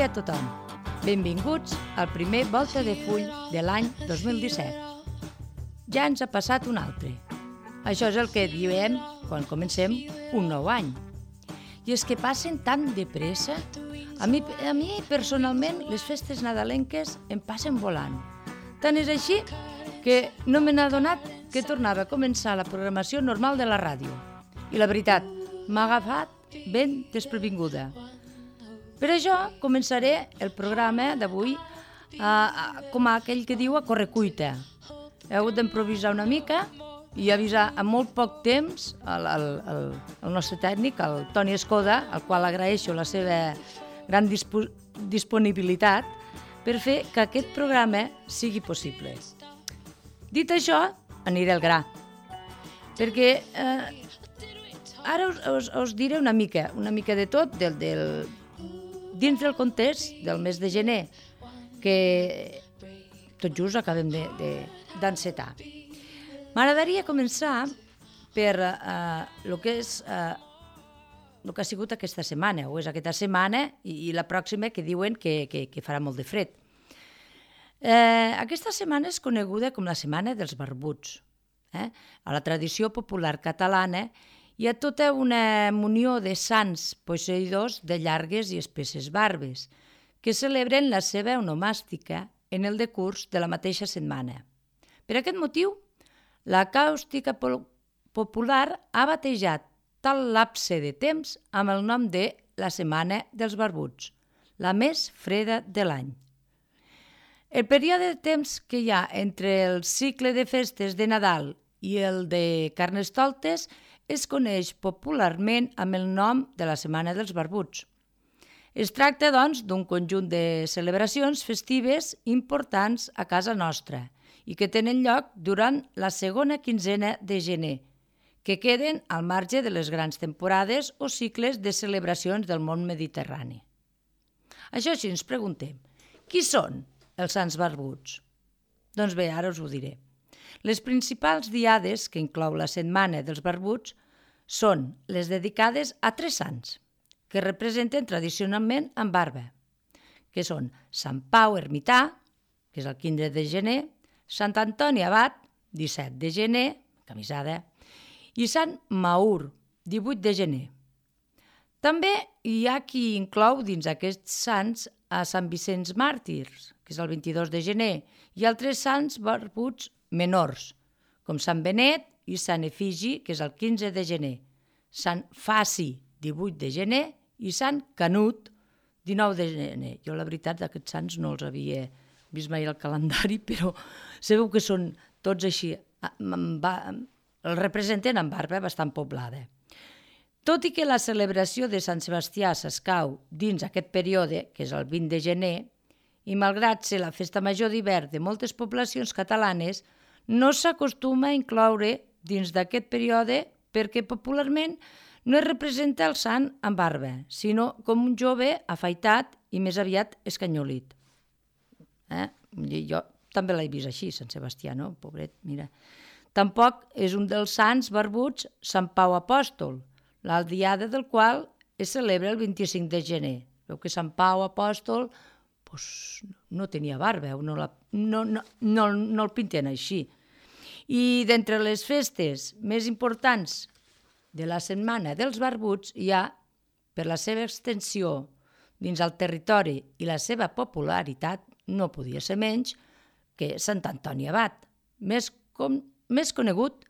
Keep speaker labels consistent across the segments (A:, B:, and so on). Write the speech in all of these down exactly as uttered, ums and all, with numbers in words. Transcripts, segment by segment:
A: dia a tothom. Benvinguts al primer Volta de Full de l'any dos mil disset. Ja ens ha passat un altre. Això és el que diem quan comencem un nou any. I és que passen tan de pressa. A mi, a mi personalment, les festes nadalenques em passen volant. Tant és així que no me n'ha adonat que tornava a començar la programació normal de la ràdio. I la veritat, m'ha agafat ben desprevinguda. Per això començaré el programa d'avui uh, com aquell que diu a correcuita. He hagut d'improvisar una mica i avisar en molt poc temps el, el, el, el nostre tècnic, el Toni Escoda, al qual agraeixo la seva gran dispo, disponibilitat per fer que aquest programa sigui possible. Dit això, aniré al gra, perquè eh, ara us, us, us diré una mica, una mica de tot del, del, dins del context del mes de gener, que tot just acabem d'encetar. De, de, M'agradaria començar per eh, el que és eh, el que ha sigut aquesta setmana, o és aquesta setmana i, i la pròxima que diuen que, que, que farà molt de fred. Eh, aquesta setmana és coneguda com la Setmana dels Barbuts. Eh? A la tradició popular catalana hi ha tota una munió de sants posseïdors de llargues i espesses barbes que celebren la seva onomàstica en el decurs de la mateixa setmana. Per aquest motiu, la càustica popular ha batejat tal lapse de temps amb el nom de la Setmana dels Barbuts, la més freda de l'any. El període de temps que hi ha entre el cicle de festes de Nadal i el de Carnestoltes es coneix popularment amb el nom de la Setmana dels Barbuts. Es tracta, doncs, d'un conjunt de celebracions festives importants a casa nostra i que tenen lloc durant la segona quinzena de gener, que queden al marge de les grans temporades o cicles de celebracions del món mediterrani. Això sí, ens preguntem, qui són els Sants Barbuts? Doncs bé, ara us ho diré. Les principals diades que inclou la Setmana dels Barbuts són les dedicades a tres sants, que representen tradicionalment amb barba, que són Sant Pau Ermità, que és el quinze de gener, Sant Antoni Abat, disset de gener, camisada, i Sant Maur, divuit de gener. També hi ha qui inclou dins aquests sants a Sant Vicenç Màrtirs, que és el vint-i-dos de gener, i altres sants barbuts menors, com Sant Benet i Sant Efigi, que és el quinze de gener, Sant Faci, divuit de gener, i Sant Canut, dinou de gener. Jo, la veritat, d'aquests sants no els havia vist mai al calendari, però sabeu que són tots així, els representen amb barba bastant poblada. Tot i que la celebració de Sant Sebastià s'escau dins aquest període, que és el vint de gener, i malgrat ser la festa major d'hivern de moltes poblacions catalanes, no s'acostuma a incloure dins d'aquest període perquè popularment no es representa el sant amb barba, sinó com un jove afaitat i més aviat escanyolit. Eh? Jo també l'he vist així, Sant Sebastià, no? Pobret, mira. Tampoc és un dels sants barbuts Sant Pau Apòstol, la diada del qual es celebra el vint-i-cinc de gener. Veu que Sant Pau Apòstol pues, no tenia barba, no, la, no, no, no, no el pinten així. I d'entre les festes més importants de la Setmana dels Barbuts hi ha, per la seva extensió dins el territori i la seva popularitat, no podia ser menys que Sant Antoni Abat, més, com, més conegut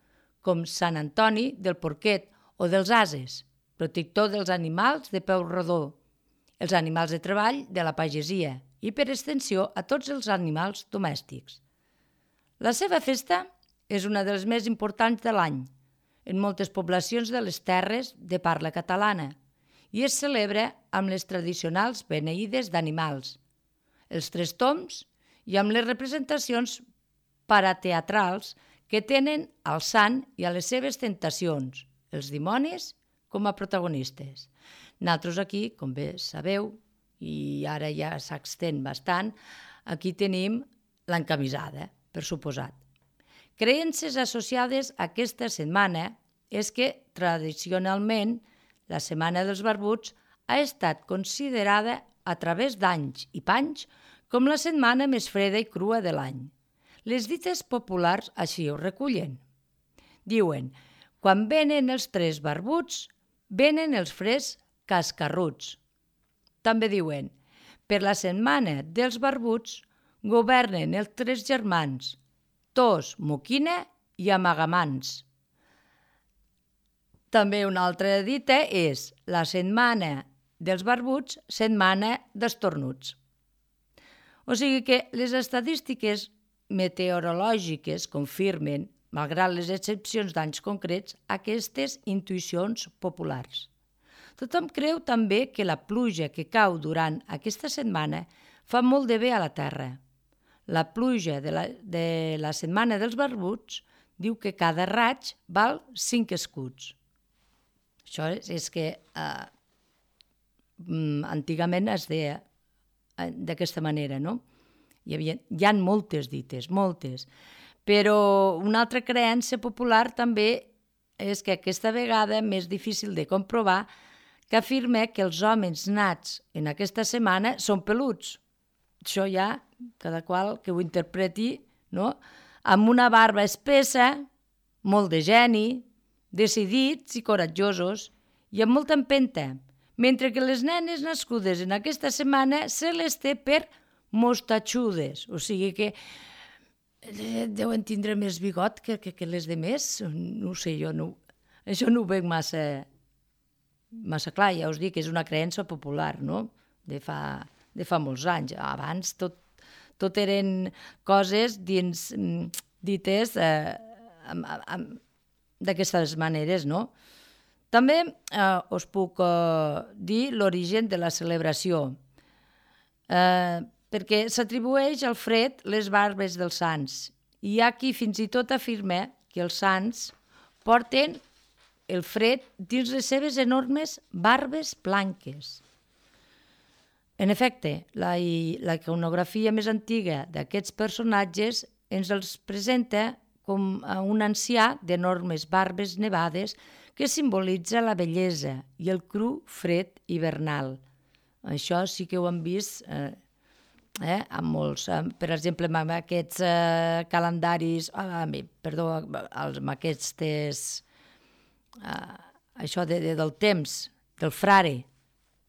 A: com Sant Antoni del Porquet o dels Ases, protector dels animals de peu rodó, els animals de treball de la pagesia i, per extensió, a tots els animals domèstics. La seva festa és una de les més importants de l'any en moltes poblacions de les terres de parla catalana i es celebra amb les tradicionals beneïdes d'animals, els tres tombs i amb les representacions parateatrals que tenen al sant i a les seves tentacions, els dimonis com a protagonistes. Nosaltres aquí, com bé sabeu, i ara ja s'extén bastant, aquí tenim l'encamisada, per suposat. Creences associades a aquesta setmana és que, tradicionalment, la Setmana dels Barbuts ha estat considerada a través d'anys i panys com la setmana més freda i crua de l'any. Les dites populars així ho recullen. Diuen, quan venen els tres barbuts, venen els fres cascarruts. També diuen, per la setmana dels barbuts governen els tres germans, Tos, Moquina i Amagamans. També una altra dita és la setmana dels barbuts, setmana d'estornuts. O sigui que les estadístiques meteorològiques confirmen, malgrat les excepcions d'anys concrets, aquestes intuïcions populars. Tothom creu també que la pluja que cau durant aquesta setmana fa molt de bé a la terra. La pluja de la, de la setmana dels barbuts diu que cada raig val cinc escuts. Això és, és que eh, antigament es deia d'aquesta manera, no? Hi havia, hi ha moltes dites, moltes. Però una altra creença popular també és que aquesta vegada més difícil de comprovar, que afirma que els homes nats en aquesta setmana són peluts. Això ja, cada qual que ho interpreti, no? Amb una barba espessa, molt de geni, decidits i coratjosos i amb molta empenta, mentre que les nenes nascudes en aquesta setmana se les té per mostatxudes, o sigui que deuen tindre més bigot que, que, que les de més, no ho sé, jo no, això no ho veig massa, massa clar, ja us dic que és una creença popular, no? De fa, de fa molts anys. Abans tot, tot eren coses dins, dites eh, amb, amb, d'aquestes maneres, no? També eh, us puc eh, dir l'origen de la celebració, eh, perquè s'atribueix al fred les barbes dels sants. Hi ha qui fins i tot afirma que els sants porten el fred dins les seves enormes barbes blanques. En efecte, la, la iconografia més antiga d'aquests personatges ens els presenta com un ancià d'enormes barbes nevades que simbolitza la bellesa i el cru fred hivernal. Això sí que ho hem vist eh, eh, amb molts, eh, per exemple, amb aquests eh, calendaris, eh, perdó, amb aquestes, eh, això de, de, del temps, del frare.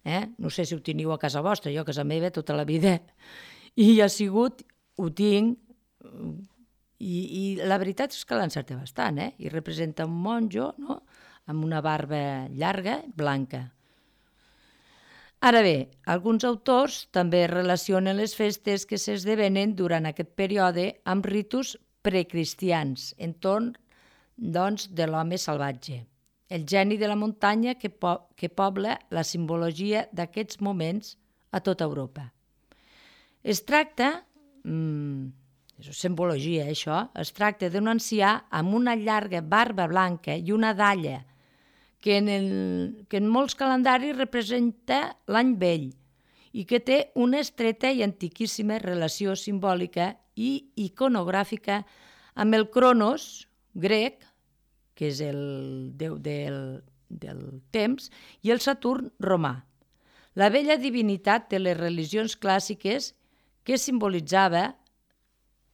A: Eh? No sé si ho teniu a casa vostra, jo a casa meva tota la vida. I ha sigut, ho tinc, i, i la veritat és que l'encerta bastant, eh? I representa un monjo, no?, amb una barba llarga, blanca. Ara bé, alguns autors també relacionen les festes que s'esdevenen durant aquest període amb ritus precristians, entorn, doncs, de l'home salvatge, el geni de la muntanya que, po que pobla la simbologia d'aquests moments a tota Europa. Es tracta, mmm, és simbologia això, es tracta d'un ancià amb una llarga barba blanca i una dalla que en, el, que en molts calendaris representa l'any vell i que té una estreta i antiquíssima relació simbòlica i iconogràfica amb el Cronos grec, que és el déu del, del temps, i el Saturn romà, la vella divinitat de les religions clàssiques que simbolitzava,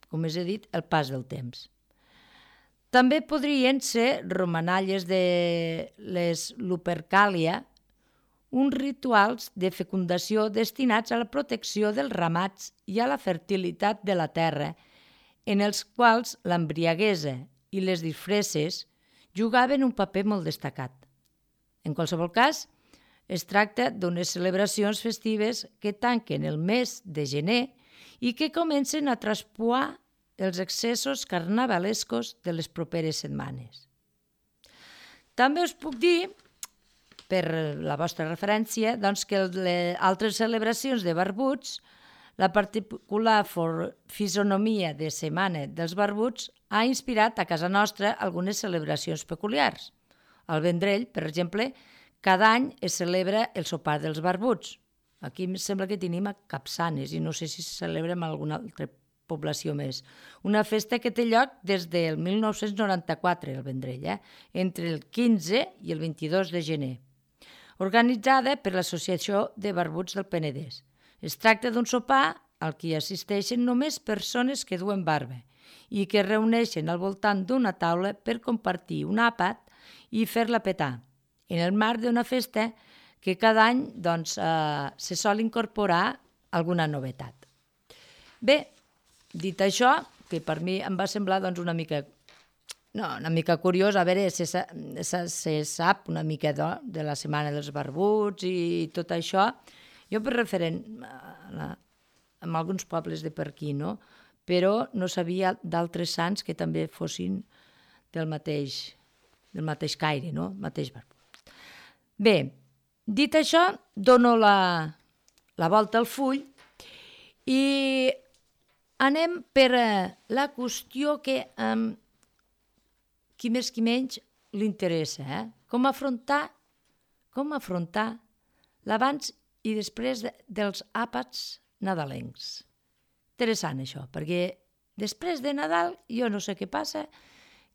A: com us he dit, el pas del temps. També podrien ser romanalles de les Lupercalia, uns rituals de fecundació destinats a la protecció dels ramats i a la fertilitat de la terra, en els quals l'embriaguesa i les disfresses jugaven un paper molt destacat. En qualsevol cas, es tracta d'unes celebracions festives que tanquen el mes de gener i que comencen a traspuar els excessos carnavalescos de les properes setmanes. També us puc dir, per la vostra referència, doncs que les altres celebracions de barbuts, la particular fisonomia de setmana dels barbuts ha inspirat a casa nostra algunes celebracions peculiars. Al Vendrell, per exemple, cada any es celebra el sopar dels barbuts. Aquí em sembla que tenim a Capçanes i no sé si se celebra en alguna altra població més. Una festa que té lloc des del mil nou-cents noranta-quatre, el Vendrell, eh? entre el quinze i el vint-i-dos de gener, organitzada per l'Associació de Barbuts del Penedès. Es tracta d'un sopar al que assisteixen només persones que duen barba i que es reuneixen al voltant d'una taula per compartir un àpat i fer-la petar, en el marc d'una festa que cada any doncs, eh, se sol incorporar alguna novetat. Bé, dit això, que per mi em va semblar doncs, una mica no, una mica curiós, a veure, se, se, se sap una mica de, de la Setmana dels Barbuts i tot això. Jo per referent a, en alguns pobles de per aquí, no? Però no sabia d'altres sants que també fossin del mateix, del mateix caire, no? Mateix barbut. Bé, dit això, dono la, la volta al full i anem per la qüestió que eh, qui més qui menys li interessa, eh? Com afrontar, com afrontar l'abans i després de, dels àpats nadalencs. Interessant això, perquè després de Nadal jo no sé què passa,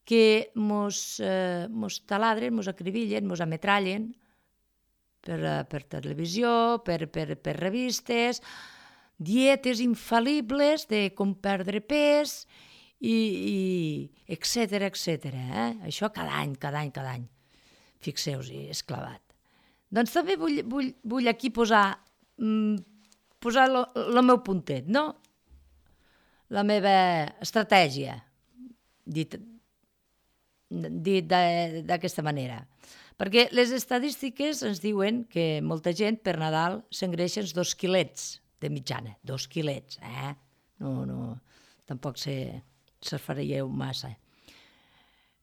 A: que mos, eh, mos taladren, mos acribillen, mos ametrallen per, per televisió, per, per, per revistes, dietes infal·libles de com perdre pes, i, i etcètera, etcètera. Eh? Això cada any, cada any, cada any. Fixeu-hi, és clavat. Doncs també vull, vull, vull aquí posar, mm, posar el meu puntet, no? La meva estratègia, dit, dit d'aquesta manera. Perquè les estadístiques ens diuen que molta gent per Nadal s'engreixen dos quilets de mitjana, dos quilets, eh? No, no, tampoc se, se faríeu massa.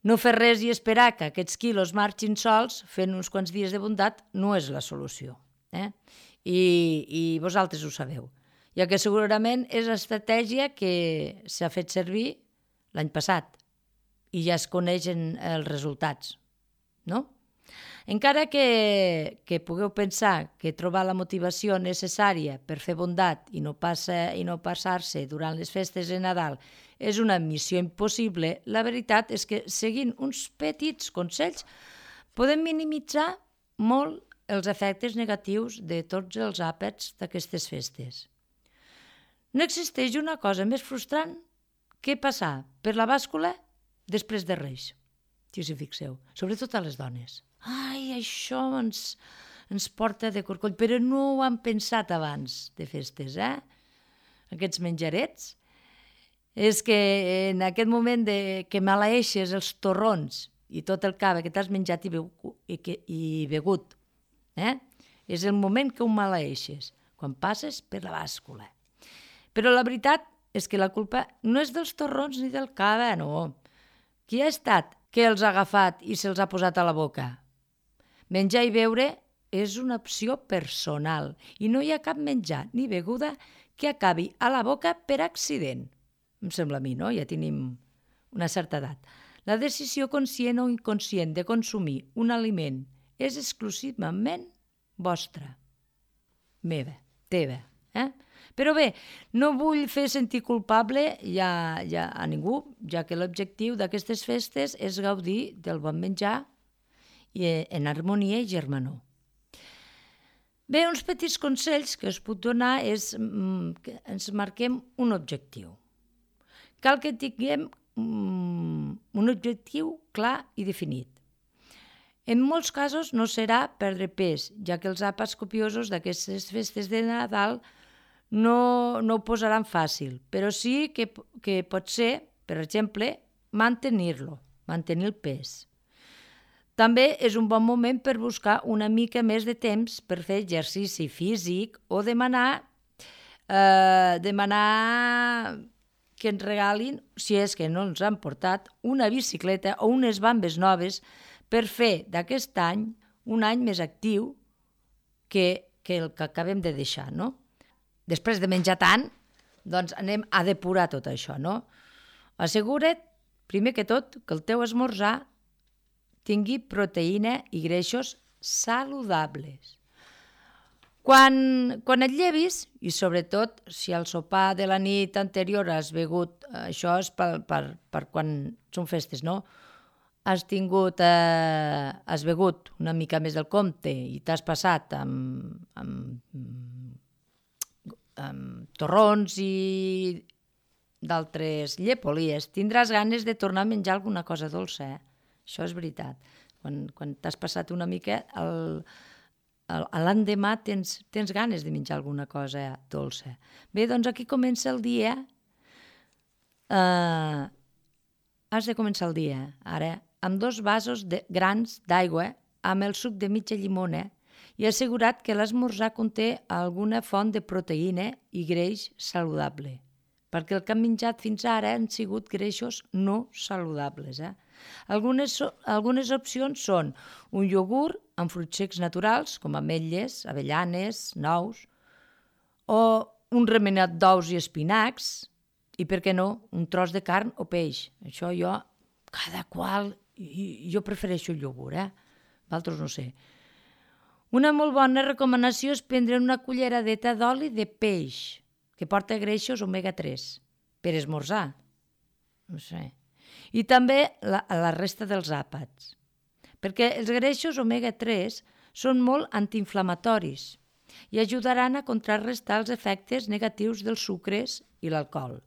A: No fer res i esperar que aquests quilos marxin sols fent uns quants dies de bondat no és la solució. Eh? I, I vosaltres ho sabeu, ja que segurament és l'estratègia que s'ha fet servir l'any passat i ja es coneixen els resultats, no? Encara que, que pugueu pensar que trobar la motivació necessària per fer bondat i no, passa, i no passar-se durant les festes de Nadal és una missió impossible, la veritat és que seguint uns petits consells podem minimitzar molt els efectes negatius de tots els àpats d'aquestes festes. No existeix una cosa més frustrant que passar per la bàscula després de Reis, si us hi fixeu, sobretot a les dones. Ai, això ens, ens porta de corcoll, però no ho han pensat abans de festes, eh? Aquests menjarets. És que en aquest moment de, que maleeixes els torrons i tot el cava que t'has menjat i, begut, i, que, i begut, eh? És el moment que ho maleeixes, quan passes per la bàscula. Però la veritat és que la culpa no és dels torrons ni del cava, no. Qui ha estat que els ha agafat i se'ls ha posat a la boca? Menjar i beure és una opció personal i no hi ha cap menjar ni beguda que acabi a la boca per accident. Em sembla a mi, no? Ja tenim una certa edat. La decisió conscient o inconscient de consumir un aliment és exclusivament vostra, meva, teva. Eh? Però bé, no vull fer sentir culpable ja, ja a ningú, ja que l'objectiu d'aquestes festes és gaudir del bon menjar i en harmonia i germanor. Bé, uns petits consells que us puc donar és que ens marquem un objectiu. Cal que tinguem un objectiu clar i definit. En molts casos no serà perdre pes, ja que els àpats copiosos d'aquestes festes de Nadal no, no ho posaran fàcil, però sí que, que pot ser, per exemple, mantenir-lo, mantenir el pes. També és un bon moment per buscar una mica més de temps per fer exercici físic o demanar, eh, demanar que ens regalin, si és que no ens han portat, una bicicleta o unes bambes noves per fer d'aquest any un any més actiu que, que el que acabem de deixar, no? Després de menjar tant, doncs anem a depurar tot això, no? Assegura't, primer que tot, que el teu esmorzar tingui proteïna i greixos saludables. Quan, quan et llevis, i sobretot si al sopar de la nit anterior has begut, això és per, per, per quan són festes, no? Has tingut, eh, has begut una mica més del compte i t'has passat amb, amb amb torrons i d'altres llepolies, tindràs ganes de tornar a menjar alguna cosa dolça. Eh? Això és veritat. Quan, quan t'has passat una mica, el, el, l'endemà tens, tens ganes de menjar alguna cosa dolça. Bé, doncs aquí comença el dia. Uh, has de començar el dia, ara, amb dos vasos de, grans d'aigua, amb el suc de mitja llimona, i assegurat que l'esmorzar conté alguna font de proteïna i greix saludable, perquè el que han menjat fins ara han sigut greixos no saludables. Eh? Algunes, algunes opcions són un iogurt amb fruits secs naturals, com ametlles, avellanes, nous, o un remenat d'ous i espinacs, i per què no, un tros de carn o peix. Això jo, cada qual, jo prefereixo el iogurt, eh? D'altres no sé. Una molt bona recomanació és prendre una culleradeta d'oli de peix, que porta greixos omega tres, per esmorzar. No sé. I també la, la resta dels àpats, perquè els greixos omega tres són molt antiinflamatoris i ajudaran a contrarrestar els efectes negatius dels sucres i l'alcohol.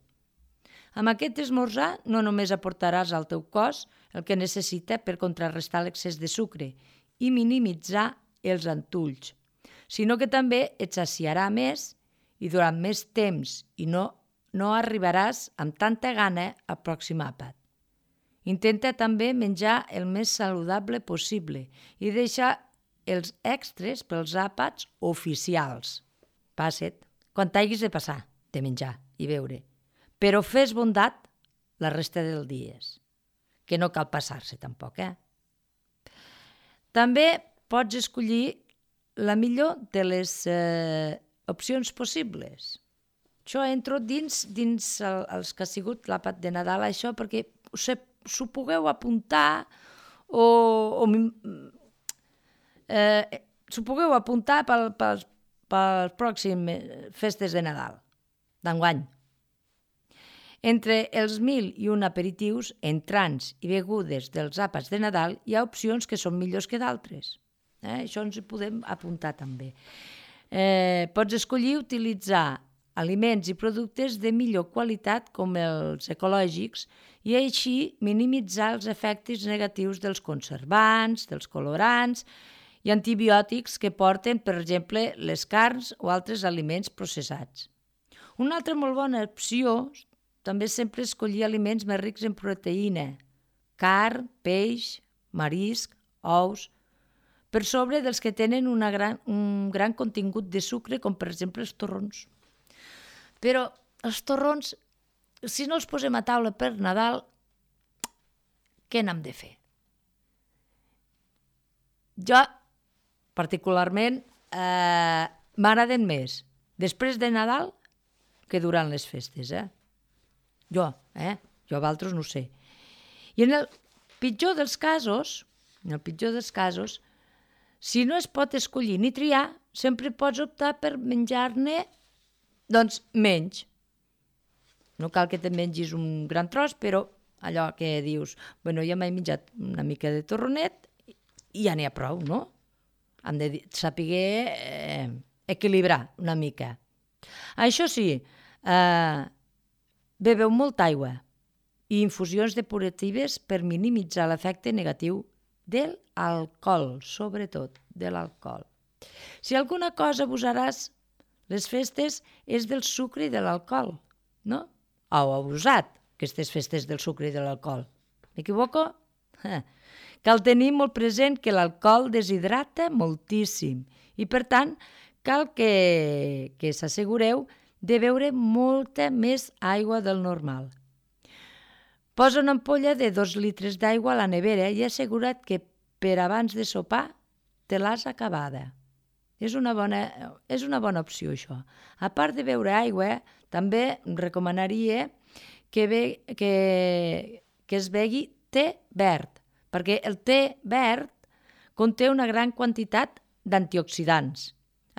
A: Amb aquest esmorzar no només aportaràs al teu cos el que necessita per contrarrestar l'excés de sucre i minimitzar els antulls, sinó que també et saciarà més i durant més temps i no, no arribaràs amb tanta gana al pròxim àpat. Intenta també menjar el més saludable possible i deixa els extres pels àpats oficials. Passa't, quan t'hagis de passar, de menjar i beure. Però fes bondat la resta dels dies, que no cal passar-se tampoc, eh? També pots escollir la millor de les eh, opcions possibles. Jo entro dins, dins el, els que ha sigut l'àpat de Nadal, això, perquè s'ho pugueu apuntar o, o eh, s'ho pugueu apuntar pel, pel, pel pròxim festes de Nadal, d'enguany. Entre els mil i un aperitius, entrants i begudes dels àpats de Nadal, hi ha opcions que són millors que d'altres. Eh? Això ens hi podem apuntar també. Eh, pots escollir utilitzar aliments i productes de millor qualitat com els ecològics i així minimitzar els efectes negatius dels conservants, dels colorants i antibiòtics que porten, per exemple, les carns o altres aliments processats. Una altra molt bona opció també sempre escollir aliments més rics en proteïna, carn, peix, marisc, ous, per sobre dels que tenen una gran, un gran contingut de sucre, com per exemple els torrons. Però els torrons, si no els posem a taula per Nadal, què n'hem de fer? Jo, particularment, eh, m'agraden més després de Nadal que durant les festes, eh? Jo, eh? Jo d'altres no sé. I en el pitjor dels casos, en el pitjor dels casos, si no es pot escollir ni triar, sempre pots optar per menjar-ne, doncs, menys. No cal que te mengis un gran tros, però allò que dius, bueno, ja m'he menjat una mica de torronet i ja n'hi ha prou, no? Hem de saber eh, equilibrar una mica. Això sí, eh, beveu molta aigua i infusions depuratives per minimitzar l'efecte negatiu de l'alcohol, sobretot de l'alcohol. Si alguna cosa abusaràs les festes és del sucre i de l'alcohol, no? O abusat aquestes festes del sucre i de l'alcohol. M'equivoco? Eh. Cal tenir molt present que l'alcohol deshidrata moltíssim i, per tant, cal que, que s'assegureu de beure molta més aigua del normal. Posa una ampolla de dos litres d'aigua a la nevera i assegura't que per abans de sopar te l'has acabada. És una bona, és una bona opció, això. A part de beure aigua, també recomanaria que, be, que, que es begui te verd, perquè el te verd conté una gran quantitat d'antioxidants.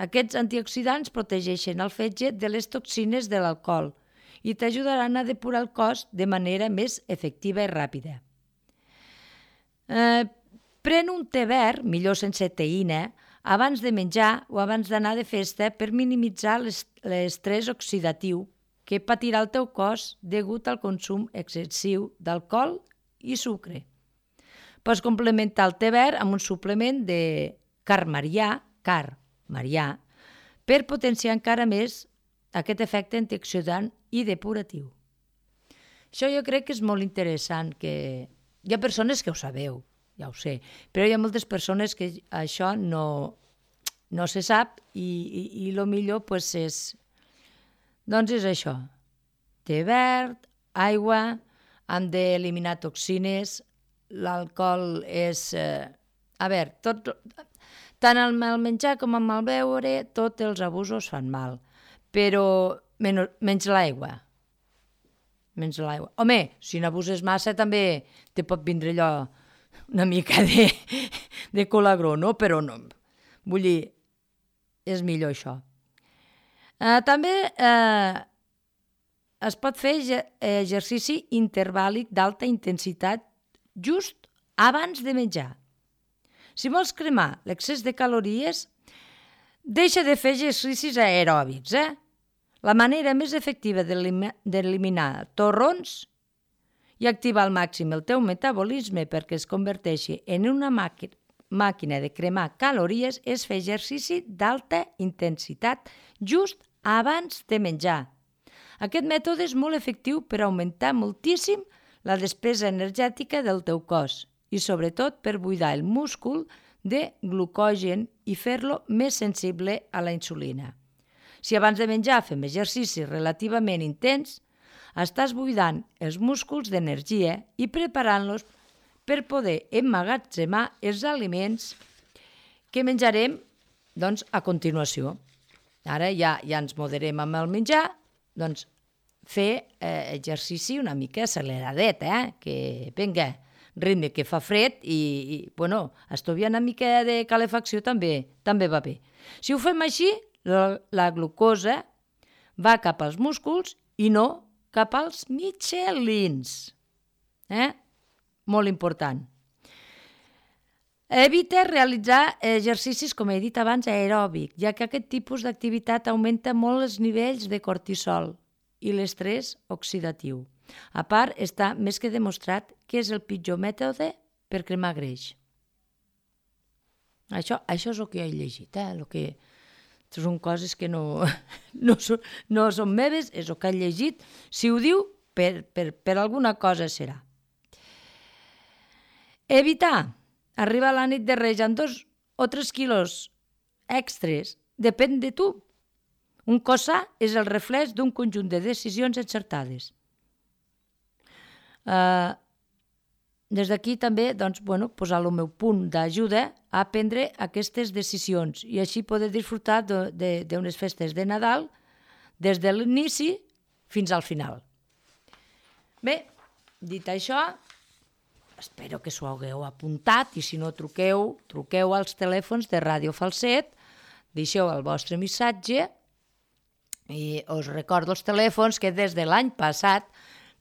A: Aquests antioxidants protegeixen el fetge de les toxines de l'alcohol i t'ajudaran a depurar el cos de manera més efectiva i ràpida. Eh, pren un te verd, millor sense teïna, abans de menjar o abans d'anar de festa per minimitzar l'estrès oxidatiu que patirà el teu cos degut al consum excessiu d'alcohol i sucre. Pots complementar el te verd amb un suplement de carn marià, carn marià, per potenciar encara més aquest efecte antioxidant i depuratiu. Això jo crec que és molt interessant, que hi ha persones que ho sabeu, ja ho sé, però hi ha moltes persones que això no, no se sap i, i, i el millor pues, és, doncs és això, te verd, aigua, hem d'eliminar toxines, l'alcohol és... Eh, a veure, tot, tant el mal menjar com el mal beure, tots els abusos fan mal, però menys, menys l'aigua. Menys l'aigua. Home, si n'abuses massa també te pot vindre allò una mica de, de colagró, no? Però no. Vull dir, és millor això. Eh, també eh, es pot fer exercici intervàl·lic d'alta intensitat just abans de menjar. Si vols cremar l'excés de calories, deixa de fer exercicis aeròbics, eh? La manera més efectiva d'eliminar torrons i activar al màxim el teu metabolisme perquè es converteixi en una màquina de cremar calories és fer exercici d'alta intensitat just abans de menjar. Aquest mètode és molt efectiu per augmentar moltíssim la despesa energètica del teu cos i sobretot per buidar el múscul de glucogen i fer-lo més sensible a la insulina. Si abans de menjar fem exercici relativament intens, estàs buidant els músculs d'energia i preparant-los per poder emmagatzemar els aliments que menjarem doncs, a continuació. Ara ja, ja ens moderem amb el menjar, doncs fer eh, exercici una mica acceleradet, eh? Que vinga, ritme que fa fred i, i bueno, estudiar una mica de calefacció també, també va bé. Si ho fem així, la, la glucosa va cap als músculs i no cap als mitgelins. Eh? Molt important. Evita realitzar exercicis, com he dit abans, aeròbic, ja que aquest tipus d'activitat augmenta molt els nivells de cortisol i l'estrès oxidatiu. A part, està més que demostrat que és el pitjor mètode per cremar greix. Això, això és el que he llegit, eh? El que... són coses que no, no, són, no són meves, és el que he llegit. Si ho diu, per, per, per alguna cosa serà. Evitar arribar a la nit de Reis amb dos o tres quilos extres depèn de tu. Un cos sa és el reflex d'un conjunt de decisions encertades. Uh, des d'aquí també doncs, bueno, posar el meu punt d'ajuda a prendre aquestes decisions i així poder disfrutar d'unes festes de Nadal des de l'inici fins al final. Bé, dit això, espero que s'ho hagueu apuntat i si no truqueu, truqueu als telèfons de Ràdio Falset, deixeu el vostre missatge i us recordo els telèfons que des de l'any passat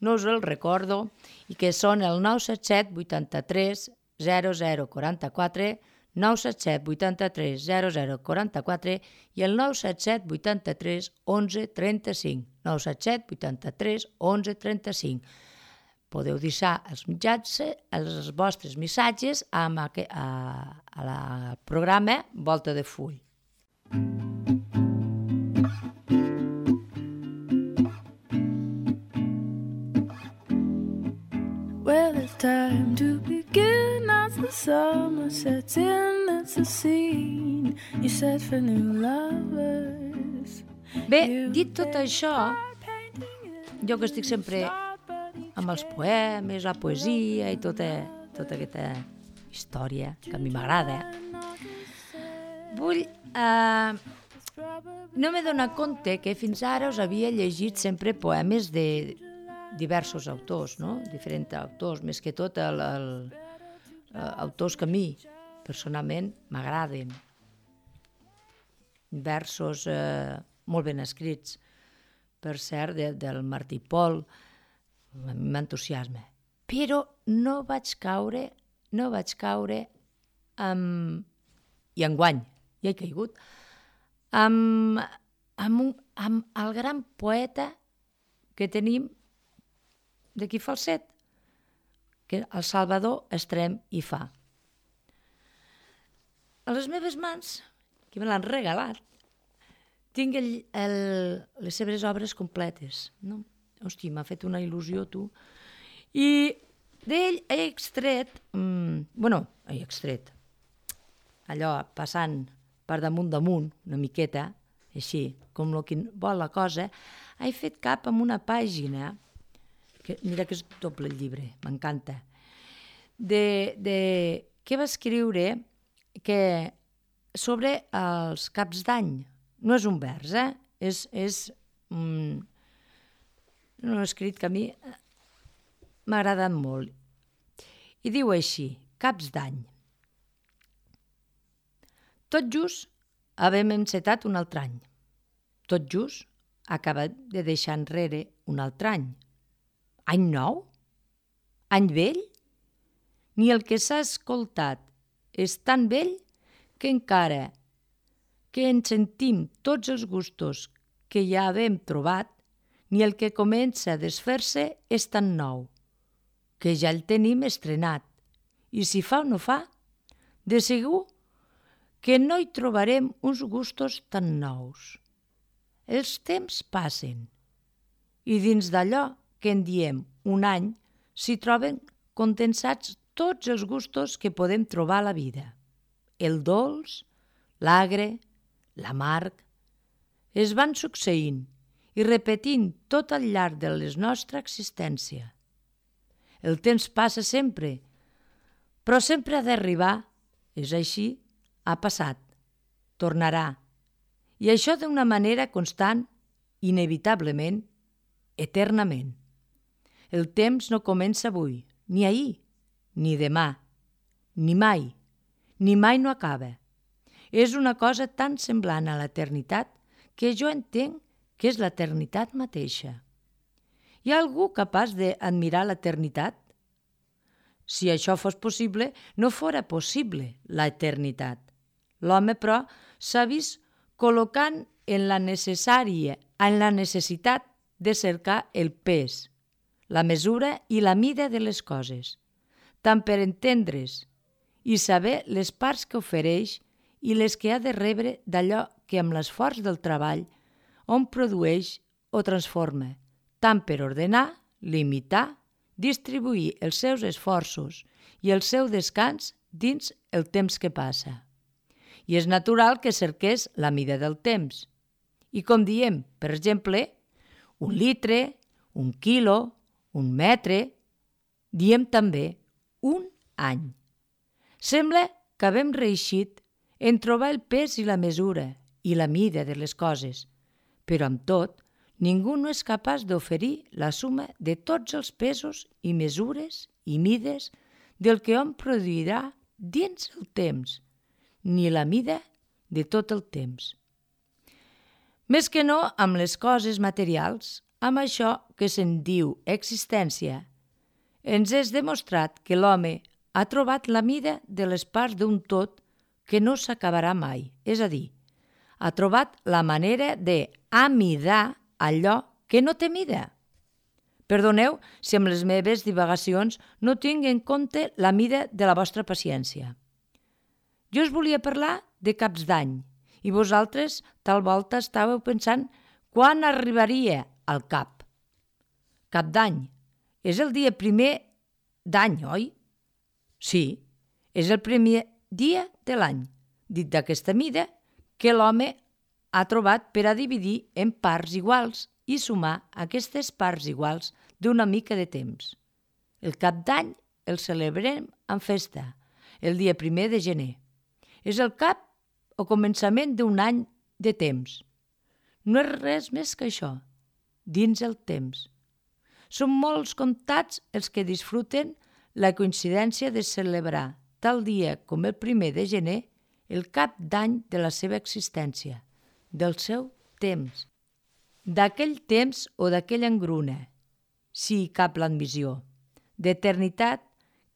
A: no us el recordo i que són el nou set set vuitanta-tres zero zero quaranta-quatre, nou set set vuitanta-tres zero zero quaranta-quatre i el nou set set vuitanta-tres onze trenta-cinc, nou set set vuitanta-tres onze trenta-cinc. Podeu deixar els mitjans, els vostres missatges al programa Volta de Full.
B: Well, it's time to begin as the summer sets in. It's a scene you set for new lovers.
A: Bé, dit tot això, jo que estic sempre amb els poemes, la poesia i tota, tota aquesta història que a mi m'agrada, vull... Eh, no m'he donat compte que fins ara us havia llegit sempre poemes de diversos autors, no? Diferents autors, més que tot el, el, el, autors que a mi personalment m'agraden. Versos eh, molt ben escrits, per cert, de, del Martí Pol, a mi m'entusiasma. Però no vaig caure, no vaig caure amb... i enguany i he caigut, amb, amb, un, amb el gran poeta que tenim d'aquí Falset, que el Salvador Estrem hi fa. A les meves mans, que me l'han regalat, tinc el, el, les seves obres completes. No? Hosti, m'ha fet una il·lusió, tu. I d'ell he extret, mm, bueno, he extret, allò passant per damunt damunt, una miqueta, així, com el que vol la cosa, he fet cap amb una pàgina, que mira que és doble el llibre, m'encanta, de, de què va escriure que sobre els caps d'any. No és un vers, eh? És, és un, un escrit que a mi m'ha agradat molt. I diu així, caps d'any. Tot just havem encetat un altre any. Tot just acaba de deixar enrere un altre any. Any nou? Any vell? Ni el que s'ha escoltat és tan vell que encara que en sentim tots els gustos que ja havem trobat, ni el que comença a desfer-se és tan nou, que ja el tenim estrenat, i si fa o no fa, de segur que no hi trobarem uns gustos tan nous. Els temps passen, i dins d'allò que en diem un any s'hi troben condensats tots els gustos que podem trobar a la vida. El dolç, l'agre, l'amarg, es van succeint i repetint tot al llarg de la nostra existència. El temps passa sempre, però sempre ha d'arribar, és així, ha passat, tornarà, i això d'una manera constant, inevitablement, eternament. El temps no comença avui, ni ahir, ni demà, ni mai, ni mai no acaba. És una cosa tan semblant a l'eternitat que jo entenc que és l'eternitat mateixa. Hi ha algú capaç d'admirar l'eternitat? Si això fos possible, no fora possible l'eternitat. L'home, però, s'ha vist col·locant en la necessària, en la necessitat de cercar el pes, la mesura i la mida de les coses, tant per entendre's i saber les parts que ofereix i les que ha de rebre d'allò que amb l'esforç del treball hom produeix o transforma, tant per ordenar, limitar, distribuir els seus esforços i el seu descans dins el temps que passa. I és natural que cerqués la mida del temps. I com diem, per exemple, un litre, un quilo, un metre, diem també un any. Sembla que havem reeixit en trobar el pes i la mesura i la mida de les coses, però amb tot, ningú no és capaç d'oferir la suma de tots els pesos i mesures i mides del que hom produirà dins el temps, ni la mida de tot el temps. Més que no amb les coses materials, amb això que se'n diu existència, ens és demostrat que l'home ha trobat la mida de les parts d'un tot que no s'acabarà mai, és a dir, ha trobat la manera d'amidar allò que no té mida. Perdoneu si amb les meves divagacions no tinc en compte la mida de la vostra paciència. Jo us volia parlar de caps d'any i vosaltres tal volta estàveu pensant quan arribaria al cap. Cap d'any és el dia primer d'any, oi? Sí, és el primer dia de l'any, dit d'aquesta mida, que l'home ha trobat per a dividir en parts iguals i sumar aquestes parts iguals d'una mica de temps. El cap d'any el celebrem en festa, el dia primer de gener. És el cap o començament d'un any de temps. No és res més que això, dins el temps. Són molts comptats els que disfruten la coincidència de celebrar tal dia com el primer de gener el cap d'any de la seva existència, del seu temps, d'aquell temps o d'aquella engruna, si hi cap l'admissió, d'eternitat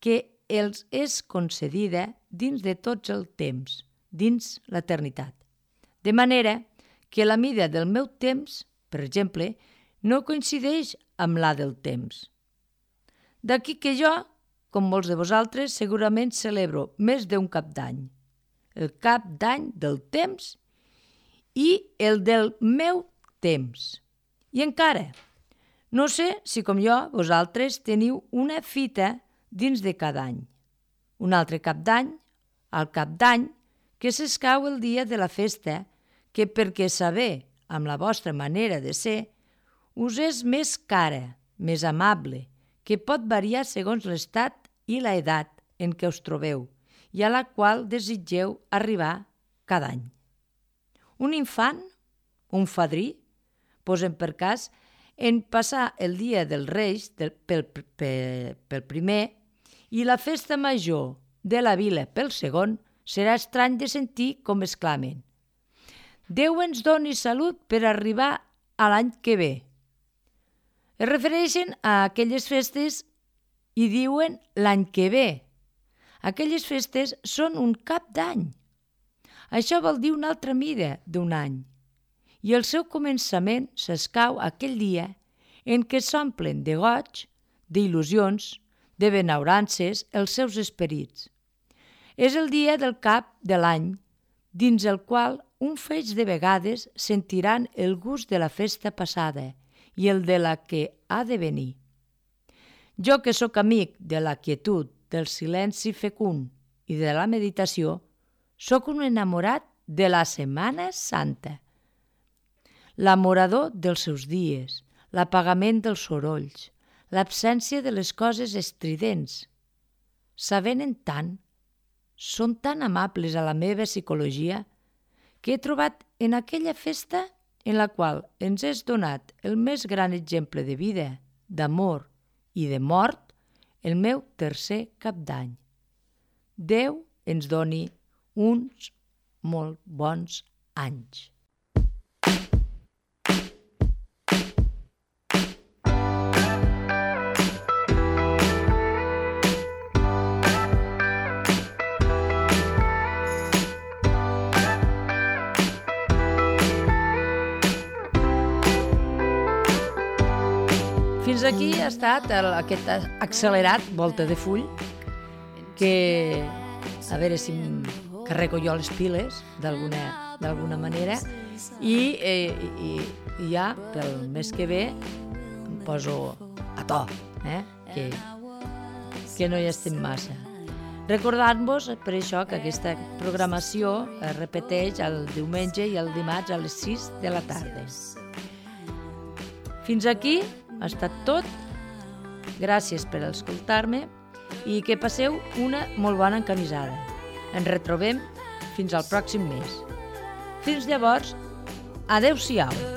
A: que els és concedida dins de tots el temps, dins l'eternitat. De manera que la mida del meu temps, per exemple, no coincideix amb la del temps. D'aquí que jo, com molts de vosaltres, segurament celebro més d'un cap d'any. El cap d'any del temps i el del meu temps. I encara, no sé si com jo vosaltres teniu una fita dins de cada any. Un altre cap d'any, al cap d'any, que s'escau el dia de la festa, que perquè saber, amb la vostra manera de ser, us és més cara, més amable, que pot variar segons l'estat i l'edat en què us trobeu i a la qual desitgeu arribar cada any. Un infant, un fadrí, posem per cas, en passar el dia dels Reis del, pel, pel, pel primer i la festa major de la vila pel segon, serà estrany de sentir com exclamen: Déu ens doni salut per arribar a l'any que ve. Es refereixen a aquelles festes i diuen l'any que ve. Aquelles festes són un cap d'any. Això vol dir una altra mida d'un any. I el seu començament s'escau aquell dia en què s'omplen de goig, d'il·lusions, de benaurances els seus esperits. És el dia del cap de l'any, dins el qual un feix de vegades sentiran el gust de la festa passada i el de la que ha de venir. Jo que sóc amic de la quietud, del silenci fecund i de la meditació, sóc un enamorat de la Setmana Santa. L'amorador dels seus dies, l'apagament dels sorolls, l'absència de les coses estridents. S'avenen tant, són tan amables a la meva psicologia, que he trobat en aquella festa en la qual ens és donat el més gran exemple de vida, d'amor i de mort, el meu tercer cap d'any. Déu ens doni uns molt bons anys. Fins aquí ha estat el, aquest accelerat Volta de Full, que a veure si em carrego jo les piles d'alguna d'alguna manera i, eh, i, i ja pel mes que ve em poso a to, eh? que, que no hi estem massa. Recordant-vos per això que aquesta programació es repeteix el diumenge i el dimarts a les sis de la tarda. Fins aquí ha estat tot. Gràcies per escoltar-me i que passeu una molt bona encamisada. Ens retrobem fins al pròxim mes. Fins llavors, adeu-siau.